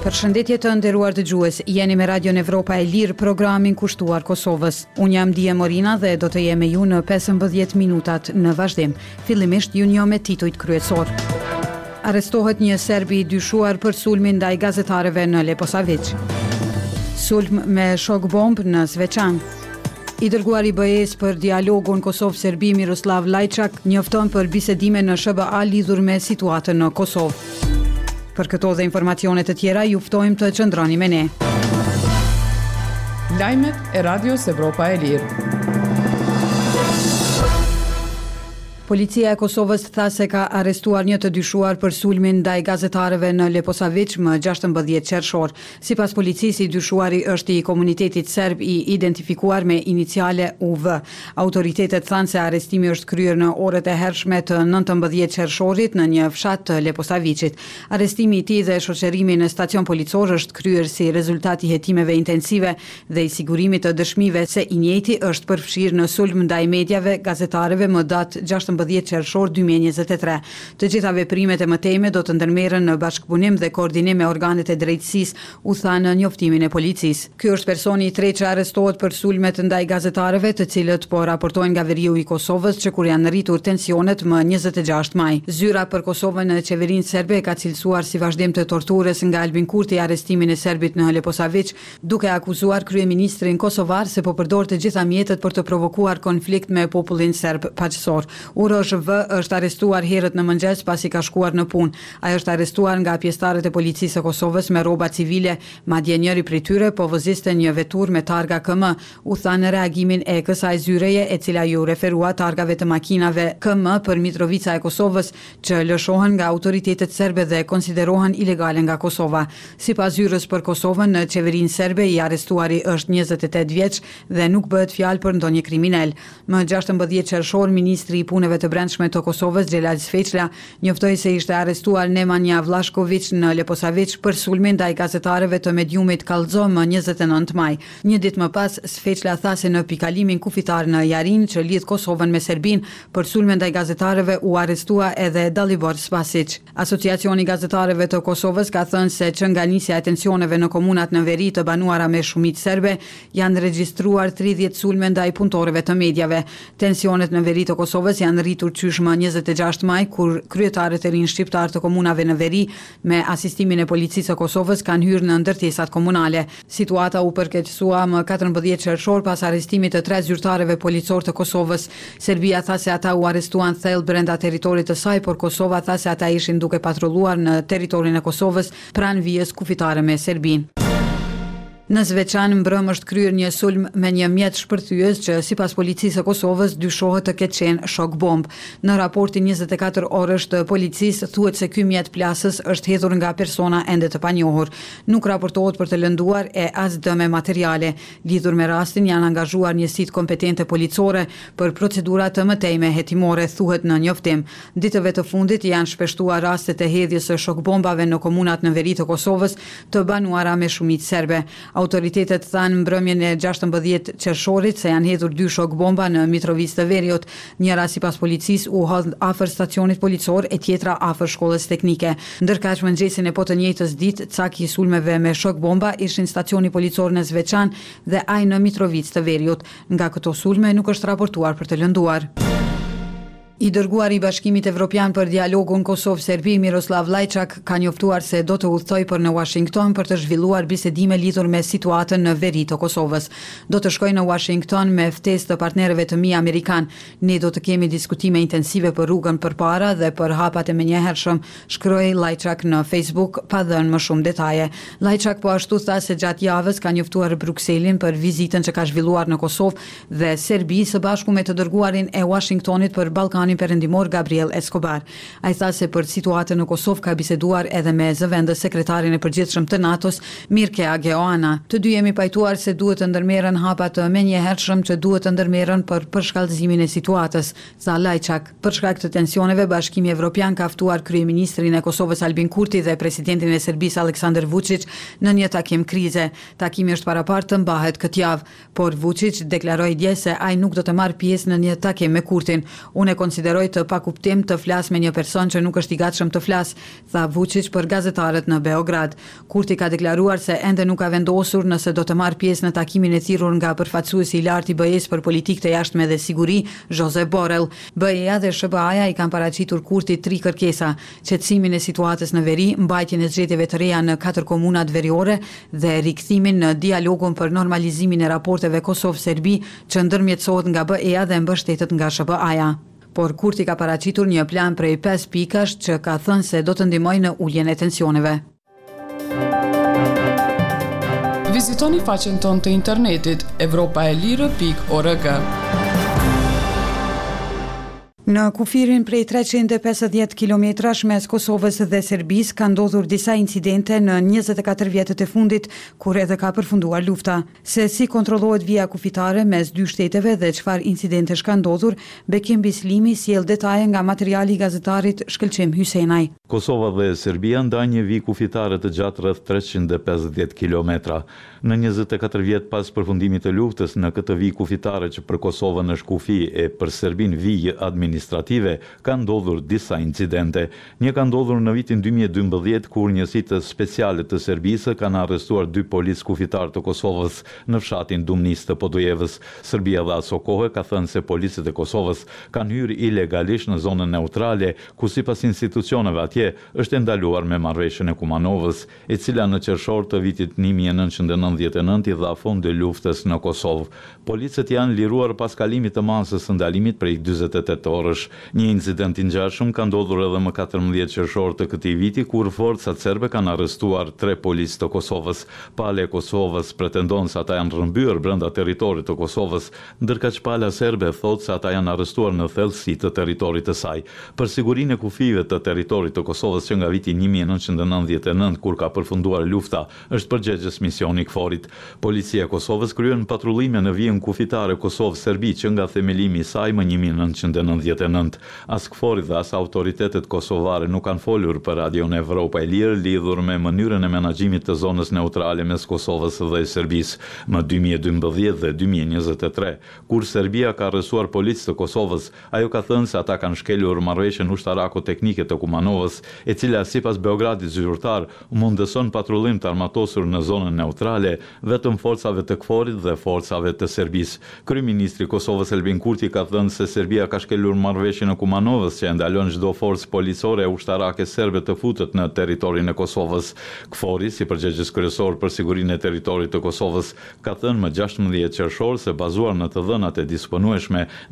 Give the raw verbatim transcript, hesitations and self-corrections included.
Përshëndetje të nderuar dëgjues, jeni me Radion Evropa e Lirë, programin kushtuar Kosovës. Unë jam Dije Morina dhe do të jem me ju në pesëmbëdhjetë minutat në vazhdim. Fillimisht ju njoh me titujt kryesor. Arrestohet një serb i dyshuar për sulmin ndaj gazetarëve në Leposaviq. Sulm me shok bombë në Zveçan. I dërguari i B E-së për dialogun Kosovë-Serbi, Miroslav Lajçak, njofton për bisedime në S H B A lidhur me situatën në Kosovë. Për këto dhe informacione të tjera, ju ftojmë të qëndroni me ne. Lajmet e Radios Evropa e Lirë. Policia e Kosovës tha se ka arrestuar një të dyshuar për sulmin ndaj gazetarëve në Leposaviq më gjashtëmbëdhjetë qershor. Sipas policisë, i dyshuari është i komunitetit serb, i identifikuar me iniciale U V. Autoritetet thanë se arrestimi është kryer në orët e hershme të nëntëmbëdhjetë qershorit në një fshat të Leposaviqit. Arrestimi i tij dhe shoqërimi në stacion policor është kryer si rezultat i hetimeve intensive dhe i sigurimit të dëshmive se i njëjti është përfshirë në sulm ndaj mediave, gazetarëve më datë gjashtëmbëdhjetë qershor dy mijë e njëzet e tre. Të gjitha veprimet e mëtejme do të ndërmerren në bashkëpunim dhe koordinim me organet e drejtësisë, u tha në njoftimin e policisë. Ky është personi i tretë që arrestohet për sulmet ndaj gazetarëve, të cilët po raportojnë nga veriu i Kosovës që kur janë rritur tensionet më njëzet e gjashtë maj. Zyra për Kosovën në qeverinë serbe ka cilësuar si vazhdim të torturës nga Albin Kurti arrestimin e serbit në Leposaviq, duke akuzuar kryeministrin kosovar se po përdor të gjitha mjetet për të provokuar konflikt me popullin serb paqësor. Urosh V është arrestuar herët në mëngjes pasi ka shkuar në punë. Ai është arrestuar nga pjesëtarët e policisë së Kosovës me rroba civile, madje njëri prej tyre po voziste një veturë me targa K M, u tha në reagimin e kësaj zyreje, e cila ju referua targave të makinave K M për Mitrovica e Kosovës, që lëshohen nga autoritetet serbe dhe konsiderohen ilegale nga Kosova. Sipas zyrës për Kosovën në qeverinë serbe, i arrestuari është njëzet e tetë vjeç dhe nuk bëhet fjalë për ndonjë kriminal. Më gjashtëmbëdhjetë qershor, ministri i Punëve të Brendshme të Kosovës, Xhelal Sveçla, njoftoi se ishte arrestuar Nemanja Vlashkoviq në Leposaviq për sulmin ndaj gazetarëve të mediumit Kallxo më njëzet e nëntë maj. Një ditë më pas, Sveçla tha se në pikalimin kufitar në Jarin, që lidh Kosovën me Serbinë, për sulmin ndaj gazetarëve u arrestua edhe Dalibor Spasic. Asociacioni i Gazetarëve të Kosovës ka thënë se që nga nisja e tensioneve në komunat në veri të banuara me shumicë serbe, janë regjistruar tridhjetë sulme ndaj punëtorëve të mediave. Tensionet në veri të Kosovës janë rritur qysh më njëzet e gjashtë maj, kur kryetarët e rinj shqiptar të komunave në veri, me asistimin e policisë së Kosovës, kanë hyrë në ndërtesat komunale. Situata u përkeqësua më katërmbëdhjetë qershor pas arrestimit të tre zyrtarëve policor të Kosovës. Serbia tha se ata u arrestuan thellë brenda territorit të saj, por Kosova tha se ata ishin duke patrulluar në territorin e Kosovës pranë vijës kufitare me Serbinë. Në Zveçan mbrëm është kryer një sulm me një mjet shpërthyes që, sipas policisë së Kosovës, dyshohet të ketë qenë shok bomb. Në raportin njëzet e katër orësh të policisë thuhet se ky mjet plasës është hedhur nga persona ende të panjohur. Nuk raportohet për të lënduar e as dëme materiale. Lidhur me rastin janë angazhuar njësitë kompetente policore për procedura të mëtejme hetimore, thuhet në njoftim. Ditëve të fundit janë shpeshtuar rastet e hedhjes së shok bombave në komunat në veri të Kosovës të banuara me shumicë serbe. Autoritetet thanë mbrëmjen e gjashtëmbëdhjetë qershorit se janë hedhur dy shok bomba në Mitrovicë të Veriut. Njëra, sipas policisë, u hodh afër stacionit policor e tjetra afër shkollës teknike. Ndërkaq, mëngjesin e po të njëjtës ditë, cak i sulmeve me shok bomba ishin stacioni policor në Zveçan dhe ai në Mitrovicë të Veriut. Nga këto sulme nuk është raportuar për të lënduar. I dërguari i Bashkimit Evropian për dialogun Kosovë-Serbi, Miroslav Lajçak, ka njoftuar se do të udhëtojë për në Washington për të zhvilluar bisedime lidhur me situatën në veri të Kosovës. "Do të shkoj në Washington me ftesë të partnerëve të mi amerikan. Ne do të kemi diskutime intensive për rrugën përpara dhe për hapat e menjëhershëm", shkroi Lajçak në Facebook, pa dhënë më shumë detaje. Lajçak po ashtu tha se gjatë javës ka njoftuar Brukselin për vizitën që ka zhvilluar në Kosovë dhe Serbi së bashku me të dërguarin e Washingtonit për Ballkanin Perëndimor, Gabriel Escobar. Ai tha se për situatën në Kosovë ka biseduar edhe me zëvendës sekretarin e përgjithshëm të NATO-s, Mirkea Geoana. "Të dy jemi pajtuar se duhet të ndërmerren hapa të menjëhershëm që duhet të ndërmerren për përshkallëzimin e situatës", tha Lajçak. Për shkak të tensioneve, Bashkimi Evropian ka ftuar kryeministrin e Kosovës, Albin Kurti, dhe presidentin e Serbisë, Aleksandar Vučić, në një takim krize. Takimi është paraparë të mbahet këtë javë, por Vučić deklaroi dje se ai nuk do të marrë pjesë në një takim me Kurtin. "Unë e konsideroj të pakuptim të flas me një person që nuk është i gatshëm të flas, tha Vučić për gazetarët në Beograd. Kurti ka deklaruar se ende nuk ka vendosur nëse do të marrë pjesë në takimin e thirrur nga përfaqësuesi i lartë i B E-s për politikë të jashtme dhe siguri, Josep Borrell. B E-ja dhe S H B A-ja i kanë paraqitur Kurtit tri kërkesa: qetësimin e situatës në veri, mbajtjen e zgjedhjeve të reja në katër komunat veriore dhe rikthimin në dialogun për normalizimin e raporteve Kosovë-Serbi që ndërmjetësohet nga B E-ja dhe mbështetet nga S H B A-ja. Por Kurti ka paraqitur një plan prej pesë pikash që ka thënë se do të ndihmojë në uljen e tensioneve. Vizitoni faqen tonë të internetit evropaelire pikë org. Në kufirin prej treqind e pesëdhjetë kilometrash mes Kosovës dhe Serbisë ka ndodhur disa incidente në njëzet e katër vjetët e fundit, kur edhe ka përfunduar lufta. Se si kontrollohet vija kufitare mes dy shteteve dhe çfarë incidentesh ka ndodhur, Bekim Bislimi sjell detaje nga materiali i gazetarit Shkëlqim Hysenaj. Kosova dhe Serbia ndajnë një vijë kufitare të gjatë rreth treqind e pesëdhjetë kilometra. Në njëzet e katër vjet pas përfundimit të luftës, në këtë vijë kufitare që për Kosovën është kufi e për Serbinë vijë administrative, ka ndodhur disa incidente. Një ka ndodhur në vitin dy mijë e dymbëdhjetë, kur njësitë speciale të Serbisë kanë arrestuar dy policë kufitar të Kosovës në fshatin Dumnis të Podujevës. Serbia dhe aso kohe ka thënë se policët e Kosovës kanë hyrë ilegalisht në zonën neutrale, ku sipas institucioneve atje është e ndaluar me marrëveshjen e Kumanovës, e cila në qershor të vitit një mijë e nëntëqind e nëntëdhjetë e nëntë i dha fund luftës në Kosovë. Policët janë liruar pas kalimit të masës së ndalimit prej dyzet e tetë orësh. Një incident i ngjashëm ka ndodhur edhe më katërmbëdhjetë qershor të këtij viti, kur forcat serbe kanë arrestuar tre policë të Kosovës. Pala e Kosovës pretendon se ata janë rrëmbyer brenda territorit të Kosovës, ndërkaq pala serbe thotë se ata janë arrestuar në thellësi të territorit të saj. Për sigurinë e kufijve të territorit të Kosovës që nga viti një mijë e nëntëqind e nëntëdhjetë e nëntë, kur ka përfunduar lufta, është përgjegjës misioni KFOR-it. Policia e Kosovës kryen patrullime në vijën kufitare Kosovë-Serbi që nga themelimi i saj më një mijë e nëntëqind e nëntëdhjetë e nëntë. As KFOR-i dhe as autoritetet kosovare nuk kanë folur për Radion Evropa e Lirë lidhur me mënyrën e menaxhimit të zonës neutrale mes Kosovës dhe Serbisë. Më dy mijë e dymbëdhjetë dhe dy mijë e njëzet e tre, kur Serbia ka arrestuar policë të Kosovës, ajo ka thënë se ata kanë shkelur marrëveshjen ushtarako-teknike të Kumanovës, e cila sipas Beogradit zyrtar mundëson patrullim të armatosur në zonën neutrale vetëm forcave të KFOR-it dhe forcave të Serbisë. Kryeministri i Kosovës Albin Kurti ka thënë se Serbia ka shkelur marrëveshjen e Kumanovës që e ndalon çdo forcë policore e ushtarake serbe të futet në territorin e Kosovës. KFOR-i, si përgjegjës kryesor për sigurinë e territorit të Kosovës, ka thënë më gjashtëmbëdhjetë qershor se bazuar në të dhënat e disponueshme,